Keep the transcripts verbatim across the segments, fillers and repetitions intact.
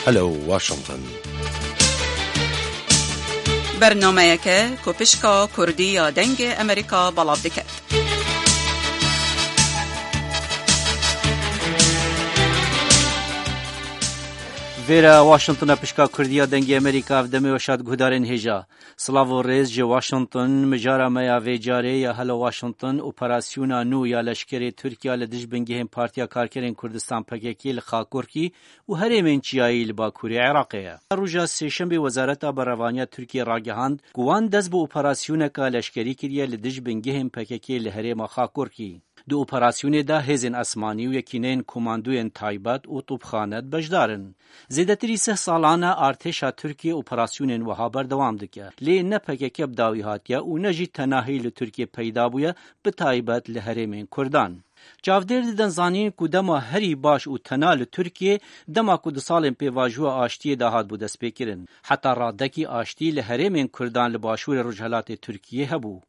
Hello Washington. Bernameyeke ku pişka Kurdî ya Dengê Amerîka belav dike. Vêre Washington e, pişka Kurdî ya Dengê Amerîka, ev demê weşa di guhdarên hêja. Silav û rêz ji Washington, mijara me ya vê carê ya Hello Washington, operasyona nû ya leşkerê Tirkiya li dij bingehên Partiya Karkerên Kurdistan P K K li Xakurkî û herêmên çiyayî li Bakurê Iraqê ye. Roja Sêşemê Wezareta Berevaniya Tirkiyê ragihand ku wan dest bi operasyoneka leşkerî kiriye li dij bingehên P K K li herêma Xakurkî. Di operasyonê de hêzên esmanî û yekîneyên komandoyên taybet û topxane beşdar in. Zêdetirî sih salan e artêşa Tirkiyê operasyonên wiha berdewam dike. Lê ne P K K bi dawî hatiye û ne jî tenahî li Tirkiyê peyda bûye, bi taybet li herêmên Kurdan. Çavdêr didin zanîn ku dema herî baş û tena li Tirkiyê, dema ku di salên pêvajoya aştiyê de hatbû destpêkirin. Heta radekî aştî li herêmên Kurdan li başûrê rojhelatê Tirkiyê hebû.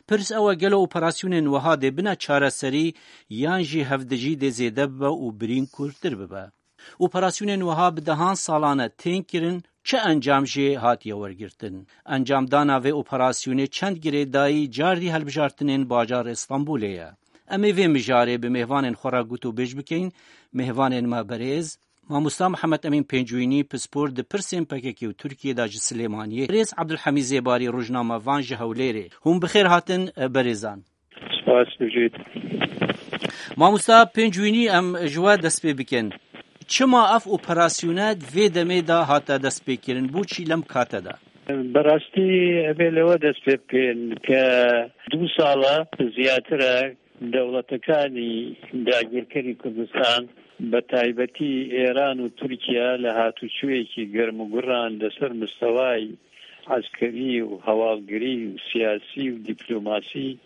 Pirs ew e, gelo operasyonên wiha dê bine çareserî yan jî hevdijî dê zêde bibe û birîn kûrtir bibe? Operasyonên wiha bi dehan salan e tên kirin, çi encam jê hatiye wergirtin? Encamdana vê operasyonê çend girêdayî cardî helbijartinên bajarê Stenbolê ye? Em ê vê mijarê bi mêvanên xwe re gotûbêj bikeyin. Mêvanên me berêz, Mamosta Mihemed Emîn Pêncûyînî, pispor di pirsên P K K û Tirkiyê de ji Silêmaniyê, Rêz Ebdulhemîd Zêbarî, rojnamevan ji Hewlêrê. Hûn bi xêr hatin, berêzan. Spas, bijît. Mamosta Pêncûyînî, em ji we dest pê bikin. Çima ev operasyone di vê demê de hate destpêkirin? Bo çî lem kate de? Berastî, evê li we dest pê bikin ke du sala ziyatire dewletekani dagirkerî Kurdistan, bi taybetî Êran û Tirkiye, li hatûçûyekî germ û guran li ser mistewayî eskerî û hewalgirî û siyasî û dîplomasî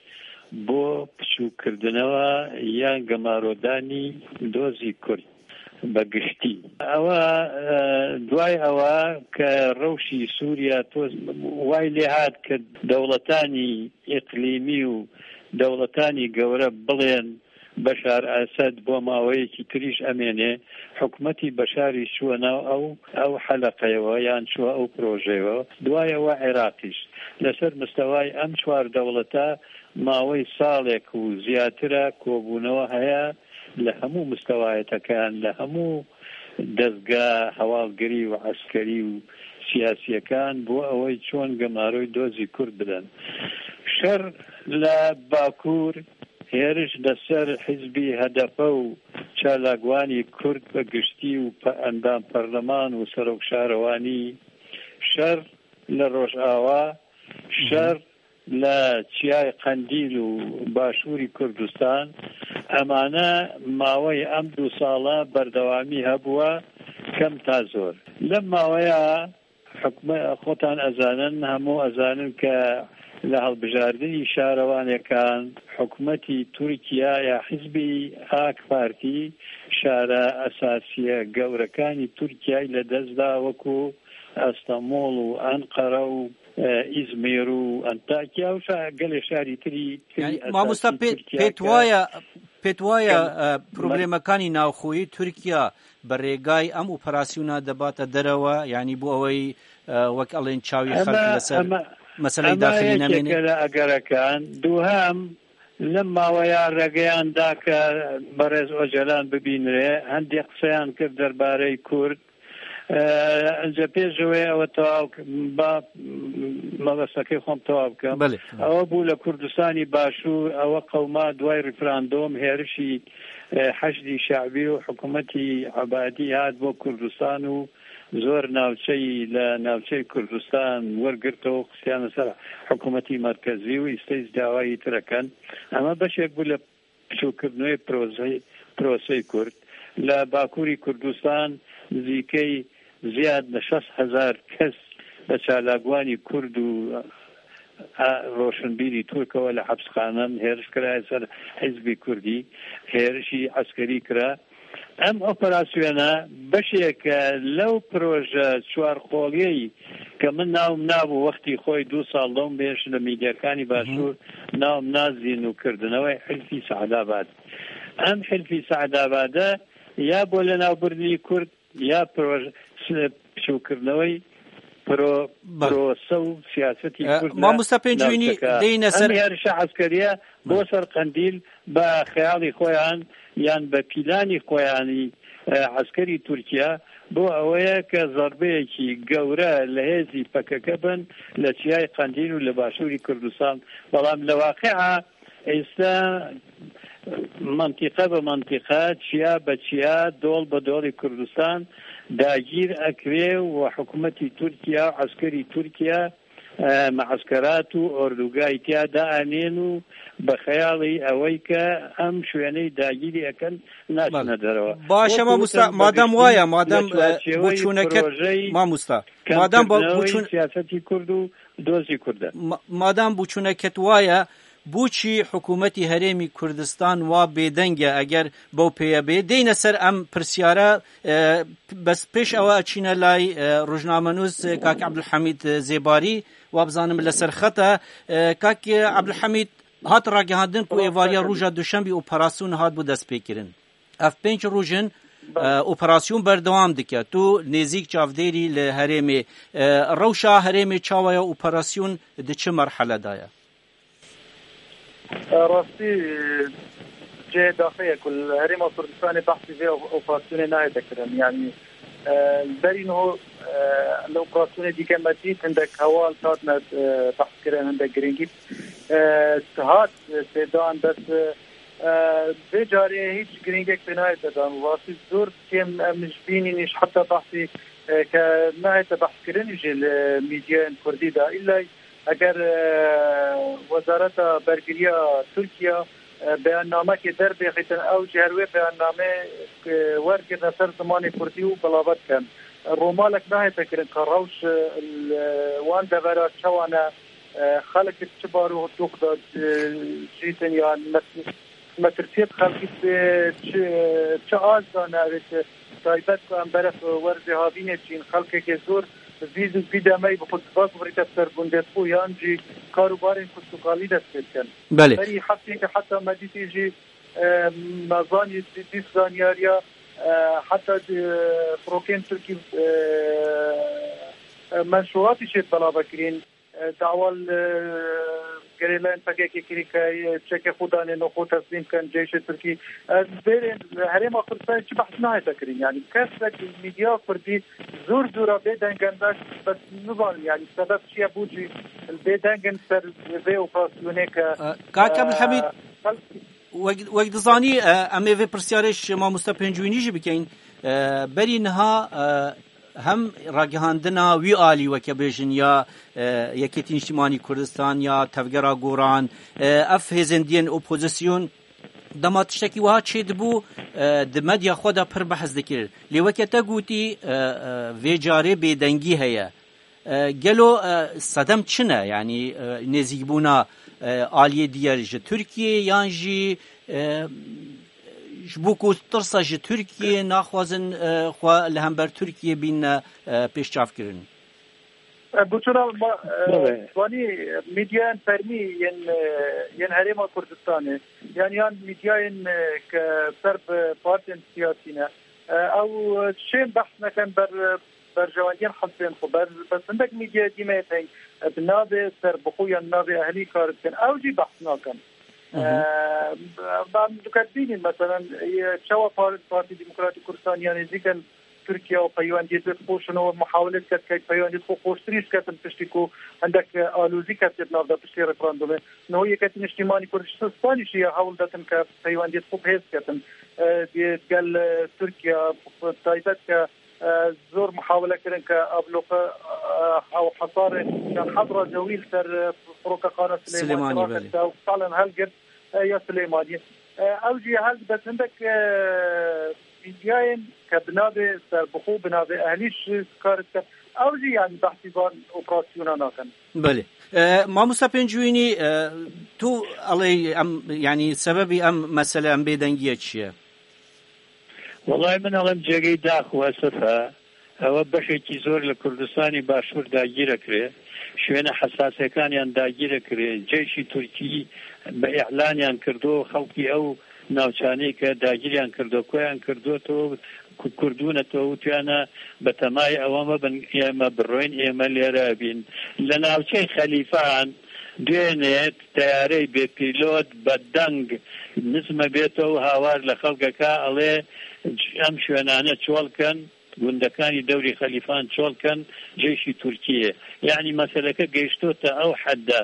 bo piçûkkirdineva yan gemarodanî dozî Kurd bi giştî. Ewa, e, duay ewa ke rewşî Sûriye to way lê hat ke dewletanî îqlîmî û dewletanî gewre bilên Beşar Esed bo maweyekî tirîş emênê, hikûmetî Beşarî çûye nav ew, ew heleqeyewe yan çûye ew projeyewe. Duwaye we Iraqîş. Li ser mistewayî em çwar dewleta mawey salek û ziyatire kobûnewe heye li hemû mistewayetekan, li hemû dezga hewalgirî û eskerî û siyasiyekan bo ewey çon gemaroy dozî Kurd bidin. Şer li Bakur, hêriş li ser hizbî H D P û çalakvanî Kurd bi giştî û pe-, endam perleman û serok şarewanî, şer li Rojava, şer li Çiyayê Qendîl û Başûrî Kurdistan, emane maweyê em du sala berdewamî hebûye, kem ta zor. Lem maweya hikûme-, xotan ezanin, hemû ezanin ke li hilbijardinî şarewanekan, hikûmetî Tirkiye ya hizbî AK Partî şare esasiye gewrekanî Tirkiyeyê li dest da, wekû Estenbol û Enqere û, e, Îzmîr û Antakya û şa-, gelê şarî tirî, tirî Yani, esasî mamosta, pê-, Tirkiye pêt ke waye, pêt waye, kem-, e, problemekanî navxoyî Tirkiye bi rêgay em operasyona debate derewe, yani bo ewey, e, wek elên çawî xelk ema, leser ema, meseleyê ema daxilî yekek nemêne? Li egerekan, duhem, lem maweya regeyan da ke berêz Ocalan bibînre, hindê qiseyan kir derbarey Kurd, Ee, Înca pêş ji wê ew tewaw k-, ba, mebestekê xwe tewaw bikim. Belê. Ew bû li Kurdistanî Başûr, ew qewma duway referandûm hêrişî, e, Heşdî Şe'bî û hikûmetî Ebadî hat bo Kurdistan û zor navçeyî li navçeyê Kurdistan wergirto û xistiyane ser hikûmetî merkezî û îsteyî dawayî tire kin. Ema beşek bû li piçûkkirinê proseyê, proseyê Kurd. Li Bakurî Kurdistan nizîkey ziyad li şeş hezar kes bi çalakvanî Kurd û, a, roşinbîrî Tirk ew li hepsxanan hêriş kiraye ser Hizbî Kurdî, hêrişî eskerî kira. Em operasyona beşeke lew proje çarqoliyeyî ke min nav nabû wextî xwe du sal dom bêş li medyakanî Başûr nav nazîn û kirdinewê Hilfî Seedabad. Em Hilfî Seedabade ya bo li nav birdinî Kurd یا پرۆژ-، س-، پچووکردنەوەی پرۆ-، بەڵێ. پرۆسە و سیاسەتی ئە، کورد لە مامۆستا پێنجوینی، ناوچەکە. دێینە سەر ئەم هێرشە عەسکەریە بۆ بەڵێ. سەر قەندیل بە خەیاڵی خۆیان یان بە پیلانی خۆیانی، ئە، عەسکەری تورکیا بۆ ئەوەیە کە زەربەیەکی گەورە لە هێزی پەکەکە بن لە چیای قەندیل و لە باشووری کوردستان. بەڵام لە واقعا ئێستا منتیقە بە منتیقە، چیا بە چیا، دۆڵ بە دۆڵی کوردستان داگیر ئەکرێ و حکوومەتی تورکیا و عەسکەری تورکیا، ئە، معسکرات و ئۆردوگای تیا دائەنێن و بە خەیاڵی ئەوەی کە ئەم شوێنەی داگیری ئەکەن ناچنە بەڵێ. دەرەوە. باشە، وەکو مامۆستا، وتم، مادام بەگشتی وایە، مادام، لە ئە، چوارچێوەی بۆچوونەکەت، پرۆژەی مامۆستا، مادام بۆ کەمکردنەوەی بۆچوون- سیاسەتی کورد و دۆزی کوردە. ما-، مادام بوچوونەکەت وایە، بۆچی حکوومەتی هەرێمی کوردستان وا بێدەنگە؟ ئەگەر بەو پێیە بێ، دێینە سەر ئەم پرسیارە. ئە، بەس پێش ئەوە ئەچینە لای، ئە، ڕۆژنامەنووس، ئە، کاک عەبدولحەمید، ئە، زێباری، وا بزانم لەسەر خەتە. ئە، کاک عەبدولحەمید، هات ڕاگەهاندن کو ئێواریا ڕوژا دوشەمبی ئۆپەراسیون هات بۆ دەستپێکردن. Ev pênc roj in, e, operasyon berdewam dike. Tu nêzîk çavdêrî li herêmê, e, rewşa herêmê çawa ye, operasyon di çi merhele de ye? Rastî cihê daxê ye ku li Herêma Kurdistanê behsî vê operasyonê nayête kirin. Yanî, e, li berî niho, e, li operasyonê dîke me dît hindek heval hatine, e, behs kirin, hindek girîngî, e, hat pêdan, bes, e, E, vê carê hîç girîngek pê nayête dan. Rastî zor kêm em ji bînî nîş heta behsî, e, ke nayête behskirin jî li mîdyayên kurdî de. Îllay eger, e, Wezareta Bergiriya Tirkiye, e, beyannamekê derbêxîtin, ew jî her wê beyannamê, e, wergirne ser zimanê kurdî û bilave dikin. Romalek nahête kirin ka rewş, e, li wan devera çawa ne, e, xelk çi bar û dûq de, e, jîtin yan mes-, metirsiyê bi xelkî bi çi, çi az dane, ev ê taybet ku em beref werzê havînê çîn, xelkekê zor bi vî zû, vî demeyî bi xwe diva guhrîte ser gundê xwe yan jî kar û barên kuştukalî dest pê dikin. Belê. Berî hefteyeke heta me dîtî jî, e, me zanî, dî-, dît zanyariya, e, heta, e, firokên Tirkî, e, e, menşûratî şêt belave kirîn. E, dawa li gerîlayên P K K kirî ke, e, çekê xwe danê, xwe teslîm bikin ceyşê Tirkî. E, bêrê herêma Kurdistanê çi behs nayête kirin. Yanî kesek mîdya kurdî zor zora bê deng in, bes, bes nizanim, yanî sebeb çi ye bû jî bê deng in ser vê operasyonê ke, E, Kak Ebdulhamîd, e, xelk- wek, wek dizanî, e, em ê vê pirsyarê ji mamoste Pêncûnî jî bikeyin. E, berî niha, e, hem ragihandina wî alî weke bêjin ya, e, Yekêtî Niştimanî Kurdistan ya Tevgera Goran, e, ev hêzên diyên opozisyon dema tiştekî wiha çêdibû, e, di medya xwe de pir behs dikir. Lê weke te gotî, e, e, vê carê bêdengî heye. E, gelo, e, sedem çi ne? Yanî, e, nêzîkbûna, e, aliyê diyer ji Tirkiyê yan jî, e, ji bo ku tirsa ji Tirkiyê naxwazin, e, xwe li hember Tirkiyê bîne, e, pêşçavkirin? E, Guçura ma, e, Belê. Zanî, medyayên fermî yên, e, yên Herêma Kurdistanê, yan, yan medyayên, e, ke ser bi partên siyasî ne, e, ew, e, çên behs nekin ber, berjewendiyên hizbên xwe. Ber, bes hindek medyayê dî me yê teng, e, bi navê serbixwe yan navê ehlî kar dikin. Ew jî behs nakin. Hı hı. E, em diket bînin, meselen, e, çawa par-, Partî Demokratîk Kurdistan ya nêzîk in Tirkiye û peywendiyê dê dixweşin û muhawilê diket ke peywendiyê xwe xweştirî diketin piştî ku hindek, e, alozî ketiye di nav de piştî referandumê. Niho Yeketî Niştîmanî Kurdistanî jî ya hewl detin ke peywendiyê xwe bi hêz ketin. E, di gel, e, Tirkiye, bi taybet ke, e, zor muhawile kirin ke abloqe, e, ew hesarê yan hedra cewî li ser, e, firokexana Silêmanî, Silêmanî, belê. Raxiste û salen helgirt, e, ya Silêmaniyê. E, ew jî hel dibet hindek, e, medyayên ke bi navê serbixwe, bi navê ehlî şi kar dikin. Ew jî, yanî, behsî van operasyona nakin. Belê. E, mamosta Pêncûnî, e, tu alê em, yanî sebebî em mesele, em bêdengiye çi ye? Wellahî min alem cêgey dax û esef e. Ewe beşekî zor li Kurdistanê Başûr dagîre kirê. Şwêne hesasêkaniyan dagîre kirê. Ceyşî Tirkî bi îlaniyan kirdo, xelkî ew navçanê ke dagîriyan kirdo, koyan kirdo, to کردوونەتەوە، وتیانە بە تەمای ئەوە مەبن ئێمە بڕۆین، ئێمە لێرە بین. لە ناوچەی خەلیفان دوێنێ تەیارەی بێپیلۆت بە دەنگ نزمە بێتەوە و هاوار لە خەڵکەکە ئەڵێ ئەم شوێنانە چۆڵکەن، گوندەکانی دەوری خەلیفان چۆڵکەن، جێشی تورکیە. یعنی مەسەلەکە گەیشتۆتە ئەو حەددا.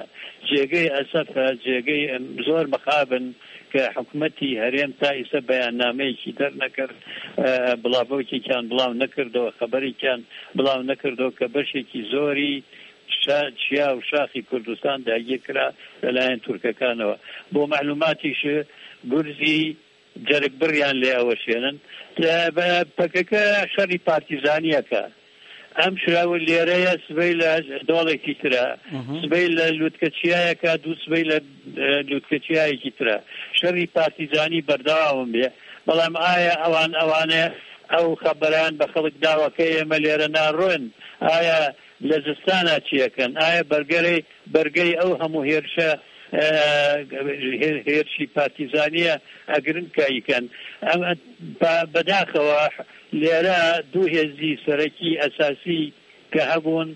جێگەی ئەسەفە، جێگەی زۆر مەخابن کە حکومەتی هەرێم تا ئیسە بەیاننامەیەکی دەرنەکرد، بڵاوەیەکیان بڵاو نەکردەوە، خەبەرێکیان بڵاو نەکردەوە کە بەشێکی زۆری شا-، چیا و شاخی کوردستان داگیر کرا لەلایەن تورکەکانەوە. بۆ مەعلوماتیش، گورزی جەرگ بڕیان لێ ئەوەشێنن. پەکەکە شەڕی پارتیزانیەکە. ئەم شراوە لێرەیە، سبەی لە دۆڵێکی ترە، سبەی لە لوتکە چیایەکە، دوو سبەی لە لوتکە چیایەکی ترە. شەڕی پارتیزانی بەردەوامم بێ. بەڵام ئایا ئەوان، ئەوانە ئەو خەبەران بە خەڵک داوەکە ئێمە لێرە ناڕۆن؟ ئایا لە زستانە چیەکەن؟ ئایا بەرگەرەی، بەرگەی ئەو هەموو هێرشە، هێرشی پارتیزانیە ئەگرن کاییکەن؟ ئەم بەداخەوە لێرە دوو هێزی سەرەکی ئەساسی کە هەبوون،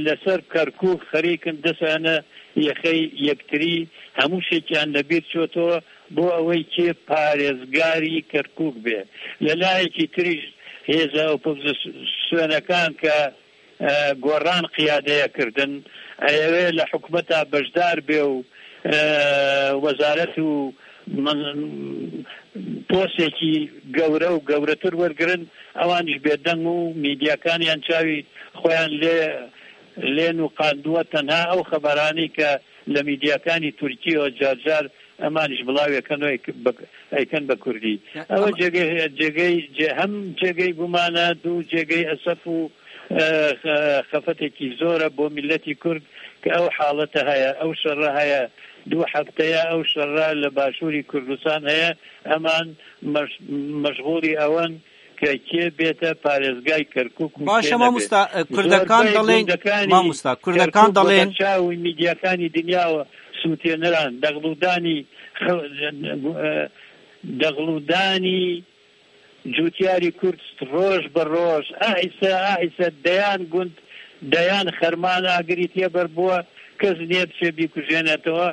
لەسەر کەرکووک خەریکن دەسانە یەخەی یەکتری، هەموو شێکیان لەبیر چۆتەوە بۆ ئەوەی کێ پارێزگاری کەرکووک بێ. لە لایەکی تریش هێزە ئۆپۆزیسیۆنەکان کە گۆڕان قیادەیە کردن، ئەیەوێ لە حکومەتا بەشدار بێ و وەزارەت و پۆستێکی گەورە و گەورەتر وەرگرن، ئەوانیش بێدەنگ و میدیاکانیان چاوی خۆیان لێ لێ نوقاندووە. تەنها ئەو خەبەرانەی کە لە میدیاکانی تورکیەوە جارجار ئەمانیش بڵاوێکەن و ئەیکن بە کوردی. ئەوە جێگەی، جێگەی، هەم جێگەی گومانە، دوو جێگەی ئەسەف و خەفەتێکی زۆرە بۆ میلەتی کورد کە ئەو حاڵەتە هەیە، ئەو شەڕە هەیە، دوو هەفتەیە ئەو شەڕە لە باشووری کوردستان هەیە. ئەمان مەشغوڵی ئەوەن کە کێ بێتە پارێزگای کەرکووک و باشە کێ نەبێت. ماموستا، کوردەکان دەڵێن، ماموستا، کوردەکان دەڵێن چاوی میدیاکانی دنیاوە سووتێنەران دەغڵودانی دەغڵودانی جوتیاری کورد ڕۆژ بە ڕۆژ، ئاهیسە ئاهیسە دەیان گوند، دەیان خەرمان ئاگری تێبەر بووە، کەس نێ بچێ بیکوژێنێتەوە.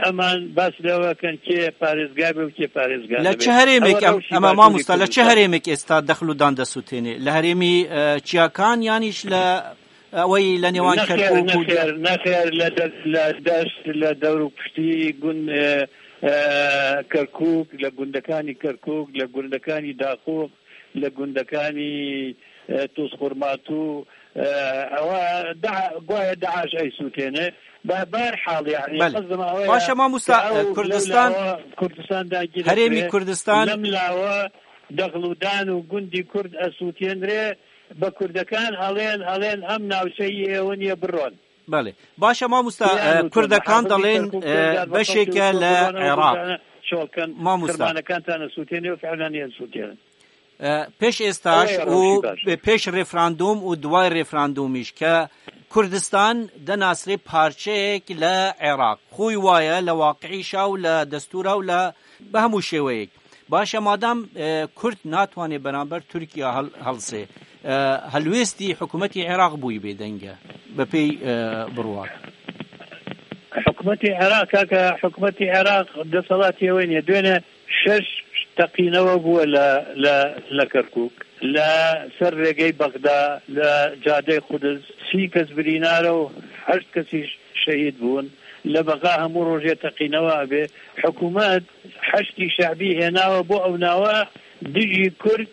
ئەمان باس لەوەکەن کێ پارێزگا بێ و کێ پارێزگا لە چ هەرێمێک؟ ئەمە ماموستا، لە چ هەرێمێک ئێستا دەخل و دان دەسووتێنێ؟ لە هەرێمی چیاکان یانیش لە ئەوەی لە نێوان کەرکووک و نەخێر، نەخێر، لە دەشت، لە دەور و پشتی گوند کەرکووک، لە گوندەکانی کەرکووک، لە گوندەکانی داخۆ، لە گوندەکانی توزخورماتوو، ئەوە گوایە داعش ئەیسووتێنێ. بە بەر حاڵ یعنی بەڵێ. باشە ماموستا، کوردستان، کوردستان داگیر، هەرێمی کوردستان، لەم لاوە دەغڵودان و گوندی کورد ئەسووتێنرێ، بە کوردەکان ئەڵێن، ئەڵێن ئەم ناوچەی ئێوە نیە، بڕۆن. بەڵێ. باشە ماموستا، کوردەکان دەڵێن بەشێکە لە عێراق. ماموستا، پێش ئێستاش و پێش ریفراندوم و دوای ریفراندومیش کە کوردستان دەناسرێ پارچەیەک لە عێراق، خۆی وایە لە واقعیشا و لە دەستورا و لە بە هەموو شێوەیەک. باشە، مادام کورد ناتوانێ بەرامبەر تورکیا هەڵسێ، هەلوێستی حکوومەتی عێراق بووی بێدەنگە بە پێی بڕوات؟ حکوومەتی عێراق، کاکە، حکوومەتی عێراق دەسەڵاتی ئەوەی نیە. دوێنێ شەش تەقینەوە بووە لە، لە، لە کەرکووک، لە سەر ڕێگەی بەغدا، لە جادەی قودس، سی کەس برینارە و هەشت کەسیش شەهید بوون. لە بەغا هەموو ڕۆژێ تەقینەوە ئەبێ. حکوومەت حەشدی شەعبی هێناوە بۆ ئەو ناوە دژی کورد.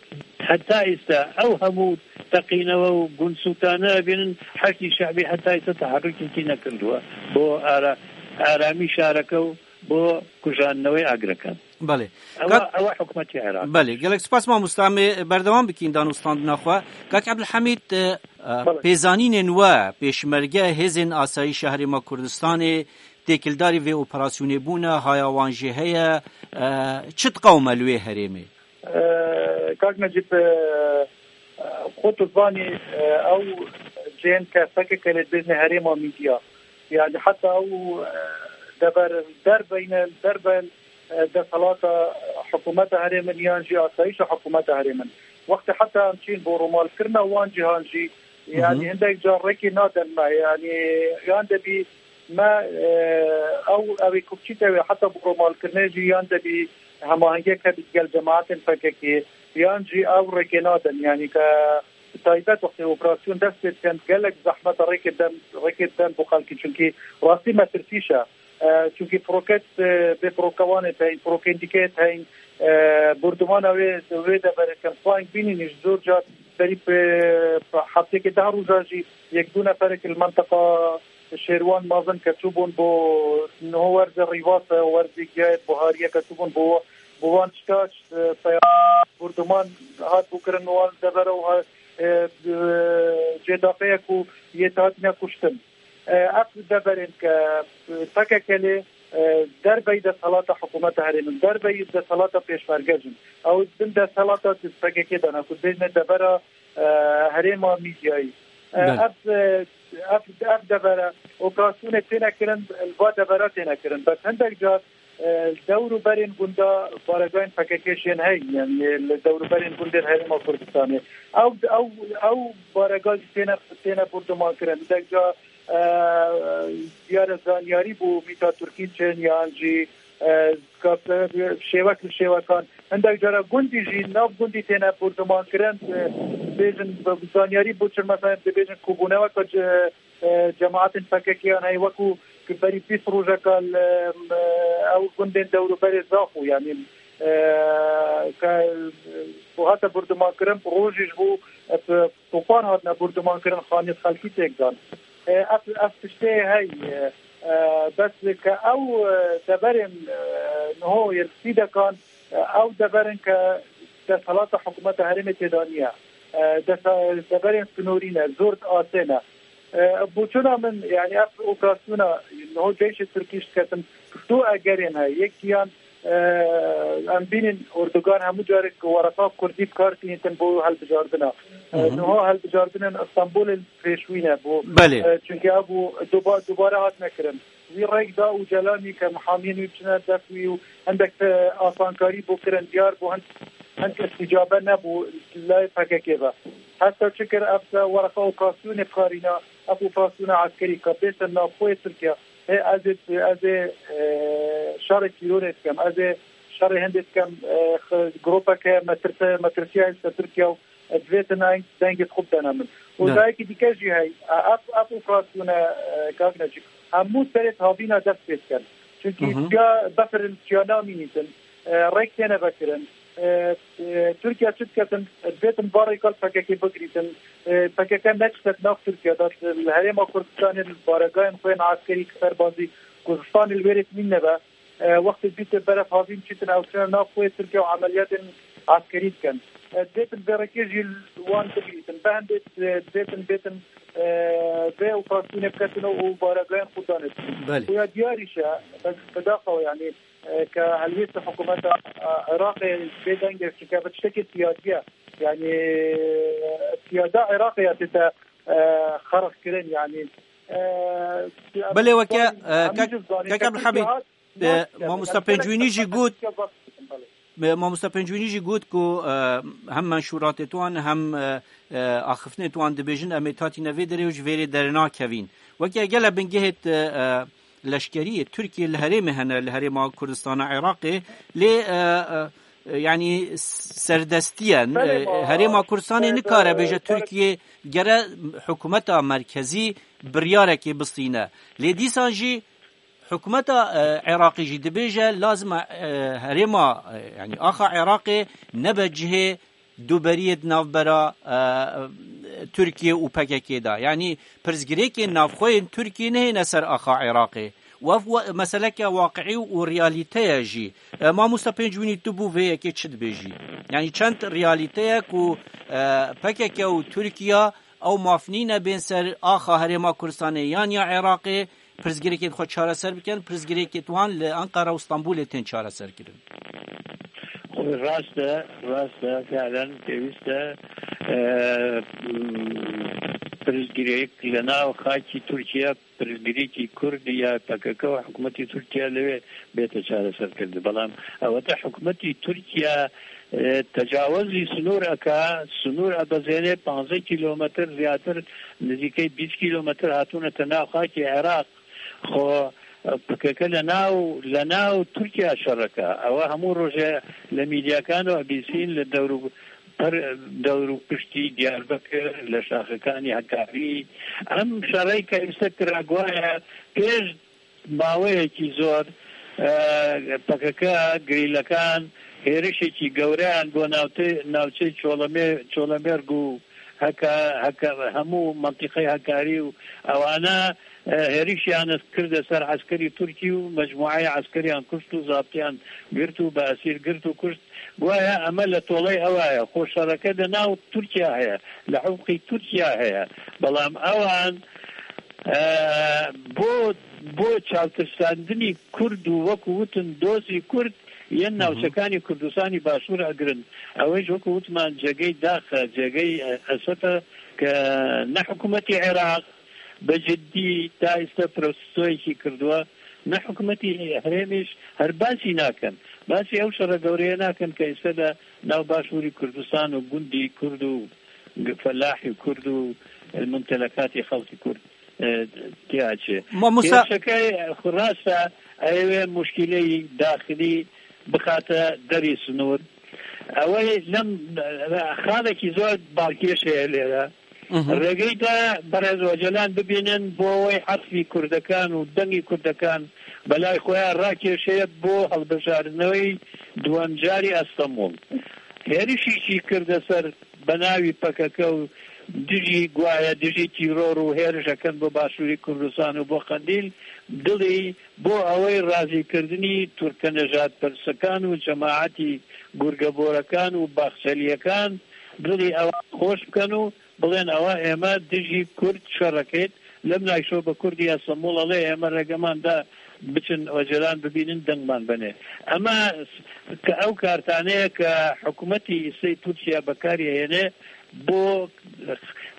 هەتا ئیستا ئەو هەموو تەقینەوە و گونسووتانە ئەبێنن، حەشدی شەعبی هەتا ئیستا تەحەڕوکێکی نەکردووە بۆ ئارا-، ئارامی شارەکە و بۆ کوژاندنەوەی ئاگرەکان. بەڵێ. ئەوە، ئەوە حکوومەتی عێراق. بەڵێ، گەلێک سپاس ماموستا. ئەمێ بەردەوام بکەین دانوستاندنا خوا. کاک عەبدولحەمید، پێزانینێن وە پێشمەرگە، هێزێن ئاسایشە هەرێما کوردستانێ تێکلداری vê operasyonê bûne, haya wan jê heye, çi diqewime li wê herêmê? Kak Necîb, xwe tu zanî, ew cihên ke P K K lê dibêjne herêma Mîdya. Yani heta ew dever derve yine, derve desthilata hikûmeta herêmin yan jî asayîşa hikûmeta herêmin. Wextê heta em çîn bo rûmalkirina wan cîhan jî, yanî hindek car rêkê nadin me. Yanî yan debî me, e, ew, ew ê ku biçîte wê heta bo rûmalkirinê jî yan debî hemahengiyek hebît gel cemaetên P K K, yan jî ew rêkê nadin. Yanî ke bi taybet wextê operasyon dest pê dikin, gelek zehmet e rêkê den, rêkê den bo xelkî, çunkî rastî metirsîş e. E, çunkî proket, e, bê prokewanê teyn, prokendîkê teyn, e, bordumana wê, wê deverê kin. Xwayên bînî nîş zor car berî bi heftêkê deh roja jî yek du neferek li menteqa Şêrwan mezin ke çûbûn bo niho werzê Rîvas e, werzê giyayê buhariyê ke çûbûn bo, bo wan çika, e, peya borduman hat bûkirin wan devera û ha-, e, e, cêdaxeya ku yê hatine kuştin. E, ev deverên ke, e, P K K lê, e, derbeyî desthilata hikûmeta herêmin, derbeyî desthilata pêşmerge jin. Ew bin desthilata P K K de ne, ku dibêjne devera, e, herêma Mîdyayî. E, Belê. ev, e, ev, ev devere operasyonê têne kirin, li va devera têne kirin. Bes hindek car, e, dewr û berên gunda baregayên P K K jên hey, yani li dewr û berên gundên herêma Kurdistanê. Ew, ew, ew barega jî têne, têne borduman kirin. Hindek car, e, diyar e zanyarî bû mîta Tirkî çin yan jî, e, ka-, şêwek li şêwekan. Hindek cara gundî jî, nav gundî têne borduman kirin, e, dibêjin, bi zanyarî bû çi, mesela, dibêjin ku bûne weke ce-, e, cemaetên P K K yan hey, wekû ki berî bîst rojeka li, e, ew gundên dewrûberê Zaxo, yanî, e, ke, e, ku hate borduman kirin, rojî ji bo, e, topan hatine borduman kirin, xaniyê xelkî têk dan. E, ev, ev tiştê hey, e, e, bes ke ew, e, deverên, e, niho yên sîdekan, e, ew deverên ke desthilata hikûmeta herêmê têda niye. E, desa-, deverên sinorî ne, zor diasê ne. E, boçûna min, yani ev operasyona niho ceyşê Tirkî ji diketin, du egerên heye. Yekiyan, e, em bînin Erdogan hemû carek wereqa kurdî bi kar tînitin bo helbijardina. E, Hı hı. Niha helbijardinên Stenbolê pêşwî ne bû. Belê. E, çunke ev bû duba-, dubare hatine kirin. Wî rêk da Ocalanî ke mihamiyên wî biçine dest wî û hindek te asankarî bû kirin diyar bû, hin-, hind îstîcabe nebû layê P K K ve. Heta çi kir, ev te wereqa operasyonê bikarîna, ev operasyona eskerî ke bêse navxweyê Tirkiye, hê ez ê, ez ê, e, şerê tîrorê dikim, ez ê şerê hindê dikim, e, x-, gropeke metirse-, metirsiya ser Tirkiye û divêtin eyn dengê xwe bidene min. Û Ne. dayekî dike jî hey, ev, ev operasyone, e, kak Necîb, hemû serê havîna dest pê dikin. Çunkî Hı hı. çiya befir çiya namînîtin, e, rêk têne vekirin. E, e, Tirkiye çi diketin, divêtin barê kal P K K bigirîtin. E, P K K neçitet nav Tirkiye de, li herêma Kurdistanê li baregayên xwe yên eskerî serbazî Kurdistanê li wêrê nîne be. E, wextê dîtê beref havîn çîtin ew çine nav xwe Tirkiye û emeliyatên eskerî dikin. E, dêtin vê rêkê jî wan bigirîtin. Be hindê, e, dêtin bêtin, e, vê operasyonê biketin û baregayên xwe danê. Belê. Xuya diyar îşe, bi, bi daxewa, yanî, e, ke helwêst hikûmeta, e, Iraqê bê dengê, çunke bi tiştekê siyasî ye. Yanî, e, siyada Iraqê ya tête, e, xerx kirin, yanî, e, Belê, weke, em e, jî kek, zanin kek ke Abdulhamid, Tirkiye hat, E, Mamosta Pêncwînî jî got, e, Mamosta Pêncwînî jî got ku, e, hem menşûratê wan hem, e, e, axiftinê wan dibêjin, em ê tatîne vê derê û ji vêrê dernakevîn. Weke gele bingehê, e, e, leşkeriyê Tirkiye li herêmê hene, li herêma Kurdistana Iraqê, lê, e, e, e, yanî serdestiye, e, Belê, ma, herêma Kurdistanê e, nikare bêje e, Tirkiye gere hikûmeta merkezî biryarekê bistîne. Lê dîsan jî Hikûmeta, e, Iraqê jî dibêje, lazim e, e, herêma, e, yanî axa Iraqê nebe cihê duberiyê di navbera, e, Tirkiye û P K K de. Yanî pirsgirêkên navxwe yên Tirkiye nehêne ser axa Iraqê. Û ev we-, meseleke waqiî û realîte ye jî. E, Mamosta Pêncwînî, tu bo vê yekê çi dibêjî? Yanî çend realîte ye ku, e, P K K û Tirkiye ew maf nîne bên ser axa herêma Kurdistanê yan ya Iraqê, pirsgirêkên xwe çareser bikin, pirsgirêkên wan li Ankara û Stenbolê tên çareserkirin. Rast e, rast e, fiilen pêwîst e, e, Pirsgirêk li nav xakî Tirkiye, pirsgirêkî Kurd ya P K K û hikûmetî Tirkiye li wê bête çareserkirin. Belam ewete hikûmetî Tirkiye, e, tecawizî sinûr eke, sinûr ebezêne panzdeh kîlometr, zêdetir, nizîkey bîst kîlometr hatûne te nav xakê Iraq. Xwe, e, P K K li nav, li nav Tirkiye şer eke. Ew hemû roje li mîdyakan û bîsîn li dewr û per, dewr û piştî Diyarbekir, li şaxekanî Hekarî. Em şerê ke îstek kira, guhaya pêş maweyekî zor, e, P K K, gerîlekan hêrişekî gewreyan bo navte-, navçeyê Çolemê-, Çolemêrg û heka, heka, hemû mentiqeyê Hekarî û ewana, e, hêrişiyan kirde ser eskerî Tirkî û mecmuayê eskeriyan kuşt û zabtiyan girt û bi esîr girt û kuşt. Guhaya eme li toley ewa ye. Xwe şereke di nav Tirkiye heye. Li hewqî Tirkiye heye. Belam ewan, e, bo, bo çavtirsandinî Kurd û wekû witin dozî Kurd yên Hı hı. navçekanî Kurdistanî Başûr egirin. Ew ê ji wekû witman cegey dax e, cegey, e, esef e ke ne hikûmetî Iraq bi ciddî ta îste protestoyekî kirduwe, ne hikûmetî herêmî jî her basî nakin. Basî ew şere gewreye nakin ke îste de nav Başûrî Kurdistan û gundî Kurd û felahî Kurd û mumtelekatî xelkî Kurd, e, tê çi. Mamosta Kêşeke xwe rast e, ew ê muşkîleyî daxilî bixate derî sinûr. Ew ê lem, e, xalekî zor balkêş heye lêre. Mhm. Rêgeyda berez Ocalan bibînin bo wê hesfî Kurdekan û dengî Kurdekan belay xwe ya rakêşeye bo hilbijartinewê duwemcarî Estenbol. Hêrişî jî kirde ser benavî P K K û dijî guhaya dijî tîror û hêrişekan bo Başûrî Kurdistan û bo Qendîl, dilî bo ewê razîkirdinî Tirkenejadpersekan û cemaetî Gurgeborekan û Baxçeliyekan, dilî ewa xweş bikin û Bilên ewa ême dijî Kurd şer ekêt. Lemnayşo bi Kurdî Estenbol alê ême regeman da biçin Ocalan bibînin dengman benê. Ema ke ew kartaneye ke hikûmetî îsê Tirkiye bekarî hêne bo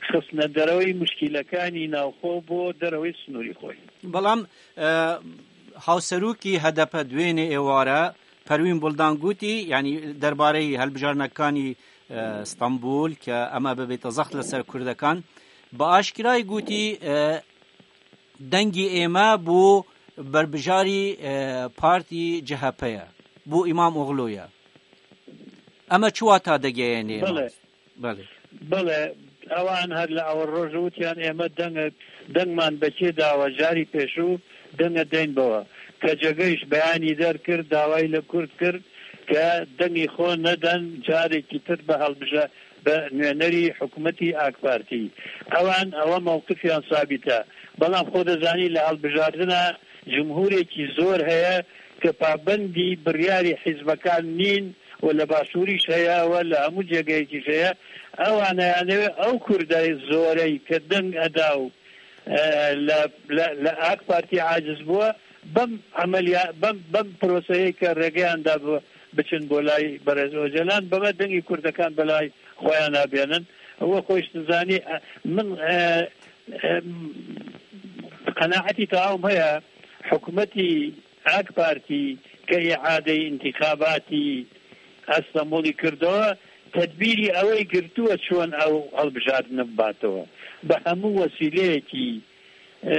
xistne derewey muşkîlekanî navxwe bo derewey sinûrî xwe. Belam, e, hawserokî H D P duênê êware Perwîn Buldan gotî, yanî derbareyî hilbijarnekanî, e, Stenbul ke eme bibête zext li ser Kurdekan, bi aşkirayî gotî, e, dengî ême bo berbijarî, e, partî C H P ye, bo Îmamoglû ye. Eme çi wata digeyêne ême? Belê. Belê. Belê, ewan her li ewil roj witiyan ême deng, dengman bekê dawe, carî pêşû denge deyn bewe. K C G ji beyanî derkir, dawayî li Kurd kir ke dengî xwe neden carekî tir bi hilbije-, bi nûnerî hikûmetî AK Partî. Ewan ewe mewqifiyan sabît e. Belam xwe dizanî li hilbijardina cumhûrekî zor heye ke pabendî biryarî hizbekan nîn, û li Başûrî jî heye, we li hemû cegeyekî jî heye. Ew aneyane wê ew Kurdê zorey ke deng eda û, e, li, li, li AK Partî aciz bûye, bem emeliya, bem, bem proseyê ke rêgeyan da bi-, biçin bo lay berez Ocalan, beme dengî Kurdekan belay xweya nabênin. We xwe jî dizanî, e, min, e, e, qenaetî tamam heye, hikûmetî AK Partî ke îadeyî întîxabatî Estenbolî kirdo, tedbîrî ew ê girtuwe çûn ew hilbijartine bibatewe. Bi hemû wesîleyekî, e,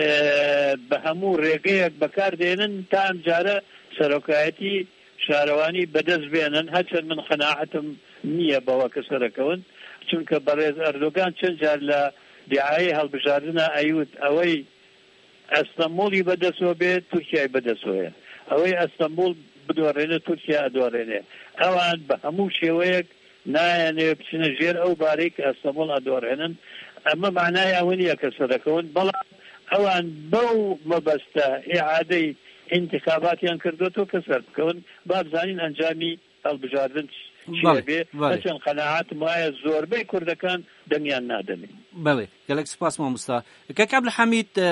bi hemû rêgeyek bekar dênin, ta em care serokayetî şarewanî bi dest bênin, herçend min qenaetim niye be weke serekewin. Çunke berêz Erdogan çend car li dîayê hilbijartina Eyûd ewey Estenbolî bi dest we bê, Tirkiyeyê bi dest we ye. Ew ê Estenbol bidorêne, Tirkiye edorêne. Ewan bi hemû şêweyek nayêne biçine jêr ew barê ke Estenbol edorênin. Eme manaya ew niye ke serekewin. Belam ewan bew mebeste îadeyî întîxabatiyan kirdo to ke ser bikewin. Ba bizanîn encamî hilbijardin çi Belê, ye bê? Belê. Heçend qenaet maye zorbey Kurdekan dengiyan nadenê. Belê, gelek spas mamosta. Kek Ebdulhamîd, e,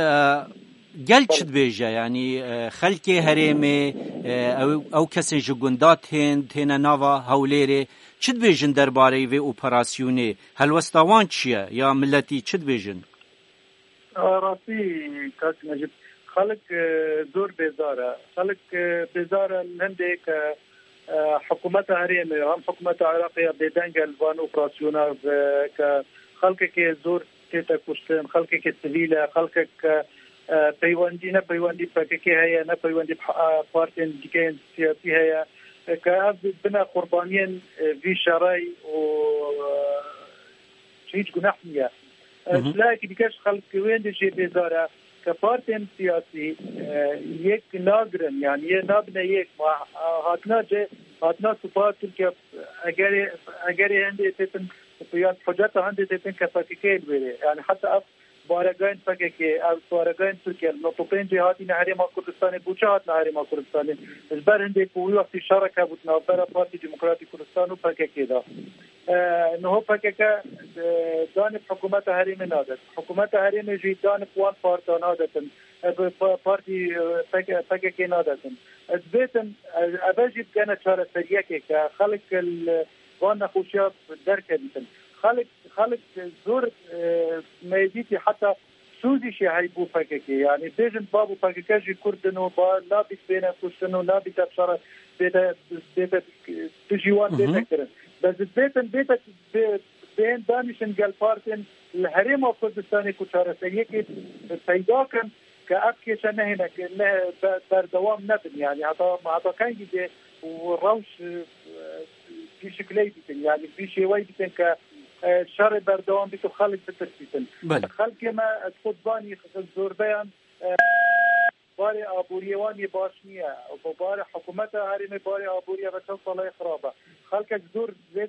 gel çi dibêje? Yanî, e, xelkê herêmê, e, ew, ew kesên ji gunda tên, têne nava Hewlêrê, çi dibêjin derbareyî vê operasyonê? Helwesta wan çi ye? Ya miletî çi dibêjin? Rastî, kak Necîb, xelk, e, zor bêzar e. Xelk, e, bêzar e li hindê ke, e, hikûmeta herêmê, hem hikûmeta Iraqê ya bêdeng e li van operasyona, e, ke xelkekê zor tête kuştin, xelkekê sivîl e, xelkek ke, e, peywendî, ne peywendî P K K heye, ne peywendî bi, e, partên dike yên siyasî heye, e, ke ev bine qurbaniyên, e, vî şerey û, e, hiç guneh niye. Hı hı. Ji layekî dike ji xelkê wên de jê bêzar e ke partên siyasî, e, yek nagirin, yani yê nabine yek. Ma, e, hatina ce, hatina supa Tirkiye, egerê, egerê hindê têtin, ya hoceta hindê têtin ke P K K li wêrê. Yani heta ev baregayên P K K, ev baregayên Tirkiye, li notopên cê hatine Herêma Kurdistanê, bûçe hatine Herêma Kurdistanê. Ji ber hindê ku wî wextî şerek hebû di navbera Partî Demokratîk Kurdistan û P K K de. E, niho P K K, e, danê bi hikûmeta herêmê nade. Hikûmeta herêmê jî danê bi wan parta nadetin. E, bi pa-, partî, e, P K K, P K K nadetin. E, dibêtin, e, eve jî bikene çareseriyekê ke xelk li van nexweşiya derkevîtin. Xelk, xelk zor, e, me dîtî heta Sûzîşê heybû P K K. Yani bêjin bab û P K K jî Kurd in û ba nabît bêne kuştin û nabît ev şer bête, bête, dijî wan Hı hı. bête kirin. Bes bêtin, bête, bê-, bên danîşin gel partên li Herêma Kurdistanê ku çareseriyekê peyda kin ke ev kêşe nehêne, ke ne, be-, berdewam nebin. Yani heta, heta kengî dê û rewş, e, vî şikley bikin. Yani vî şêwey bikin ke, e, şerê berdewam bît û xelk bitirsîtin. Belê. Xelkê me, ez xwe dibanî, zorbeyan, e, barê aboriyê wan yê baş niye. Û barê hikûmeta herêmê, barê aboriyê ve çend sala ye xirab e. Xelkek zor zêd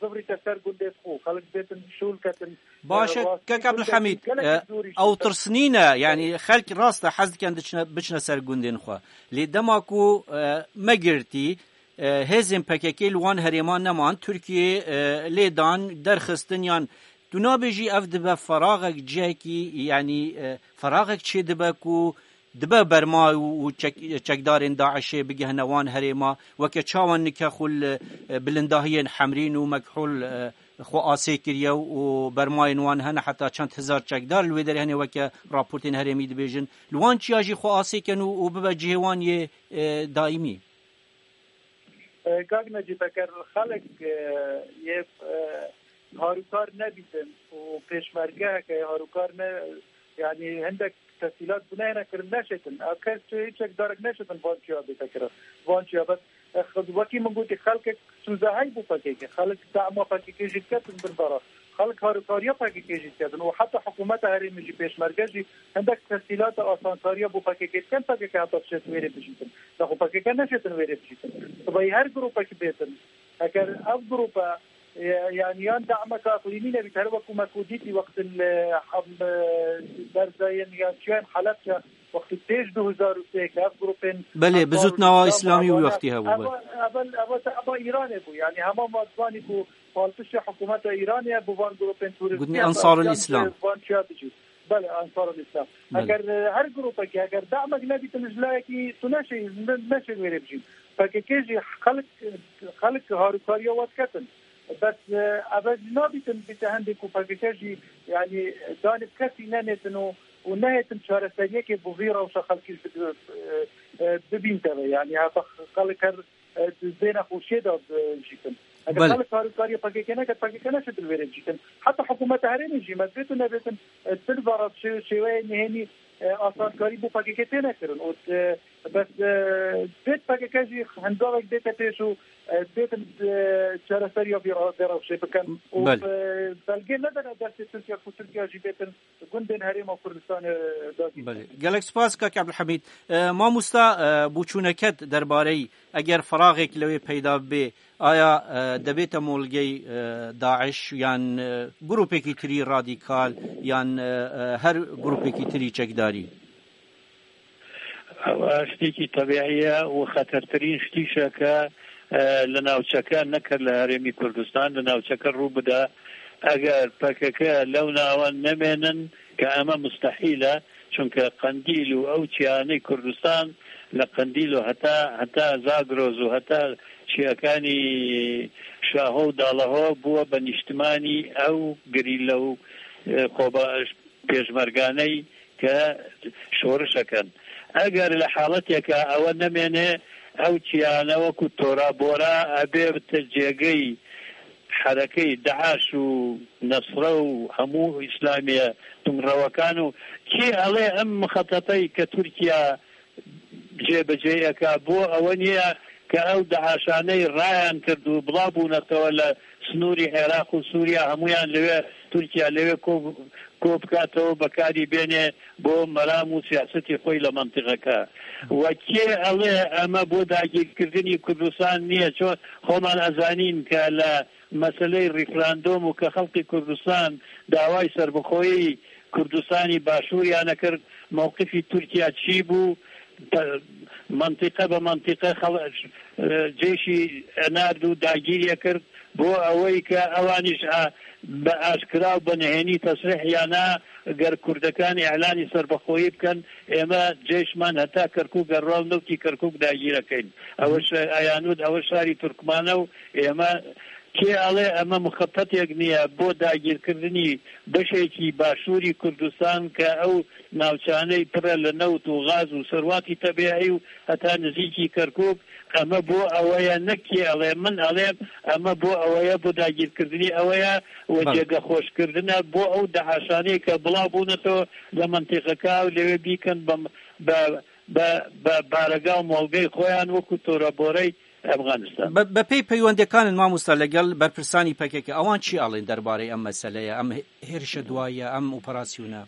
zivrîte ser gundê xwe. Xelk bêtin şûl ketin. Baş e, e, rastî kek gundekî Abdulhamîd, gelekî e, zor îşte. Ew tirs nîne, yani xelk rast e, hez dikin diçine, biçine ser gundên xwe. Lê dema ku, e, me girtî, e, hêzên P K K li wan herêman neman, Tirkiye, e, lê dan, derxistin yan tu nabêjî ev dibe feraxek cihekî, yanî, e, feraxek çê dibe ku dibe berma û, û çek-, çekdarên DAIŞê bigihine wan herêma, weke çawa nike xwe li, e, bilindahiyên Hemrîn û Mekhûl, e, xwe asê kiriye û bermayên wan hene heta çend hezar çekdar li wê derê hene weke raportên herêmî dibêjin. Li wan çiya jî xwe asê ken û, û bibe cihê wan yê, e, daîmî. E, Kak Necîb, eger xelk, e, yê, e, harûkar nebîtin û pêşmergeheke harûkar ne, yani hindek tesîlat binehêne kirin neşêtin. Ev kes çi hiç çekdarek neşêtin van çiya bête kirin. Van çiya bes, e, x-, wekî min gotî xelkek sûze hey bû P K K. Xelk dema P K K jî diketin bin bera. Xelk harûkariya P K K jî diketin û heta hikûmeta herêmê jî pêşmerge jî hindek tesîlata asankariya bo P K K dikin, P K K heta dişêt wêrê bijîtin. Lê xwe P K K neşêtin wêrê bijîtin. Sibahî her grûpek bêtin. Eger ev grûpe, e, yani yan dameka iqlîmî nebît, her wekû me ku dîtî wextin, e, hem, e, berzayên yan çiyayên Helebçe, wextî pêş du hezar û sê ke ev grûpên Belê, bi Ensarul zûtnawa Îslam, Îslamî wî Evane, wextî hebû, belê. Eva, eva, eva, eva Îranê bû. Yani hema me zanî ku palpiştê hikûmeta Îranê ye, bi van grûpên terorîstî Gotnî Ensarul Îslam. Van çiya bijî. Belê, Ensarul Îslam. Belê. Eger, e, her grûpekî, eger damek nedîtin ji layekî tu neşê, ne-, neşê wêrê bijîn. P K K jî xelk, xelk harûkariya we diketin. Bes, e, ev jî nabîtin bîte hindê ku P K K jî, yani, danê bi kesî nenêtin û, û nehêtin çareseriyekê bo vî rewşa xelkî ji, e, e, bibînte ve. Yani, heta xelk her e, di zêna xweşiyê de, e, jîtin. Eger Belê. Xelk harûkariya P K K neket, P K K neşêtin wêrê bijîtin. Heta hikûmeta herêmê jî, me bêtin nebêtin, e, di vara şê-, şêweyê nihênî, e, asankarî bo P K K têne kirin. Û, e, bes, e, bêt P K K jî hindavek bête pêş û, e, bêtin, e, çareseriya vê ra-, vê rewşê bikin. Û, Belê. E, belgê nedene destê Tirkiye ku Tirkiye jî bêtin gundên Herêma Kurdistanê dagîr. Belê. Gelek spas, kak Abdulhamîd. E, mamosta, e, boçûneket derbarey eger feraxek lewê peyda bê, aya, e, debête molgey, e, DAIŞ yan, e, grûpekî tirî radîkal yan, e, e, her grûpekî tirî çekdarî? Ew ştêkî tebîî ye û xetertirîn ştîşeke, e, li navçeke, neke li Herêmî Kurdistan, li navçeke rû bide. Eger P K K lew nawan nemênin, ke eme mustehîl e, çunke Qendîl û ew çiyanê Kurdistan li Qendîl û heta, heta Zagros û heta çiyakanî Şaho û Dalaho bûye be nîştimanî ew gerîla û, e, xweba-, pêşmerganey ke şorişekin. Eger li haleteke ewe nemêne, ew çiyane wekû tora bora ebe bite cêgey herekey DAIŞ û Nesre û hemû îslamiye tunrewekan û kê ele em mixetetey ke Tirkiye cêbecêyeke bo ewe niye ke ew DAIŞaney rayan kir û bila bûnetewe li snorî Iraq û Sûriye hemûyan li wê Tirkiye li wê ko-, kop bikatewê bekarî bêne bo meram û siyasetê xwe yî li mentiqeke. Wekî ele eme bo dagîrkirdinî Kurdistan niye, ço xweman ezanîn ke li meseleyê referandûm û ke xelkê Kurdistan daway serbixweyî Kurdistanî Başûriyane kir, mewqifî Tirkiye çî bû? Pe-, mentiqe be mentiqe xel-, e, cêşî enard û dagîriye kir. Bo ewey ke ewanîş a, bi aşkira û bi nihênî tesrîh ya na, ger Kurdekan îlanî serbixweyî bikin, ême cêşman heta Kerkûk, ger raw newtî Kerkûk dagîre keyn. Ewe şe-, eyanûd, ewe şarî Turkmane û ême kê ale eme mixepetek niye bo dagîrkirdinî beşekî başûrî Kurdistan ke ew navçaney pir e li newt û gaz û serwatî tebîî û heta nizîkî Kerkûk. Eme bo ewe ye, ne kê ele, min ele, eme bo ewe ye, bo dagîrkirdinî ewe ye û Belê. cêgexweşkirdine bo ew DAIŞanê ke bila bûne to li mentiqeka û lê wê bîkin bi, bi, bi, bi barega û molgey xweyan wekû toreborey Efxanistan. Bi, bi pey peywendekanin mamosta legel berpirsanî P K K, ewan çi alên derbarê em meseleye, em hê-, hêrişe duayê, em operasyona?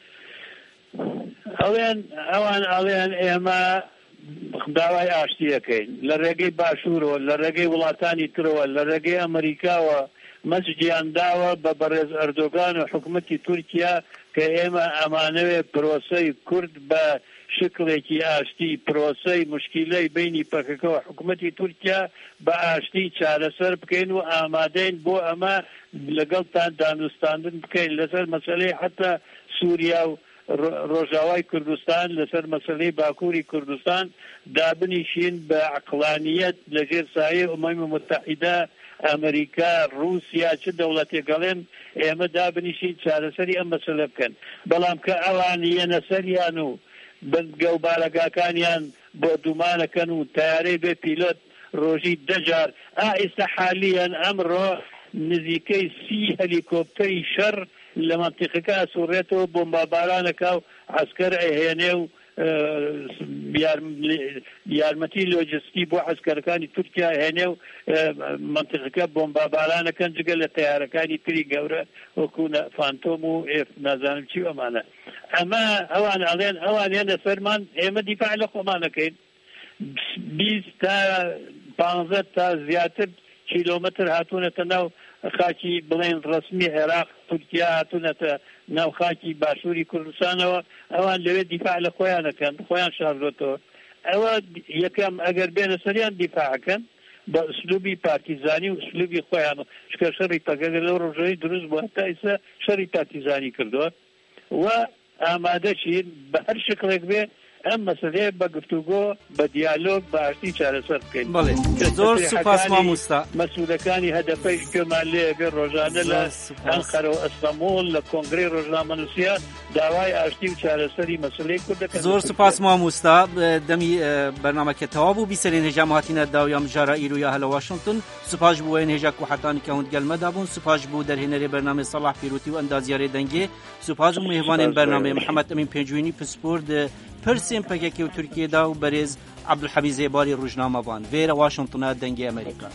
Ewan, ewan alên ême daway aştiyê keyn. Li regey Başûro, li regey welatanî tiro, li regey Amerîkawa, me ji ciyan dawe bi berêz Erdogan û hikûmetî Tirkiye ke ême emanewê proseyê Kurd bi şiklekî aştî, proseyê muşkîleyê beynî P K K û hikûmetî Tirkiye bi aştî çareser bikeyn û amadeyn bo eme legel tan danûstandin bikeyn li ser meseleyê heta Sûriye û Ro-, Rojavayê Kurdistan, li ser meseleyê Bakurî Kurdistan dabinîşîn bi eqlaniyet li jêr sayê Umemê Mutehîde, Amerîka, Rûsya, çi dewletê gelên ême dabinîşîn çareserî em mesele bikin. Belam ke ewan yene seriyan û bi gewbaregakaniyan bordûmane ken û teyareyê bê pîlot rojî de car. A îse halîyen emro nizîkey sî helîkopterî şer li mentiqeke Esurreto bombabaraneka û esker ê hênê û, e, yar-, yarmetî lojistî bo eskerekanî Tirkiye hênê û, e, mentiqeke bombabaraneke cigele teyarekanî tirî gewre wekû ne Fantom û êf nazanim çi emane. Eme ewan alên, ewan yene serman, ême dîfa li xweman ekeyn. Bîst ta panzdeh ta ziyadtir kilometr hatûne te nav xakî, bilên resmî Iraq, Tirkiye hatûne te nav xakî Başûrî Kurdistanê we. Ewan lewê dîfa li xweyan ekin, xweyan şardoto. Ewa yekem eger bêne seriyan dîfa ekin, bi uslûbî partîzanî û uslûbî xweyan, çike şerî P K K li rojayî dirust bû, heta îse şerî partîzanî kirdo. We amade şîn bi her şiklek be em meseleyê bi guftûgo, bi diyalog, bi aştî çareser bikin. Belê. Zor spas mamosta. Mesûlekanî H D P ji Kemalê be rojane li Enqere û Stenbol li Kongreyê Rojnamenûsiya dawayê aştî û çareserî meseleyê Kurd dikin. Zor spas mamosta. Demî, e, bernameke tewab bû. Bîserên hêja me hatîne dawiya mijara îro ya hele Washington. Spas ji bo wê hêja ku heta nika hûn digel me de bûn. Spas ji bo derhênerê bernamê Salah Pîrotî û endaziyarê dengê. Spas ji mêvanên bernamê Mihemed Emîn Pêncûnî, pispor di pirsên P K K û Tirkiyê de û berêz Abdulhemîd Zêbarî rojnamevan. Vêre Washingtona Dengê Amerîka.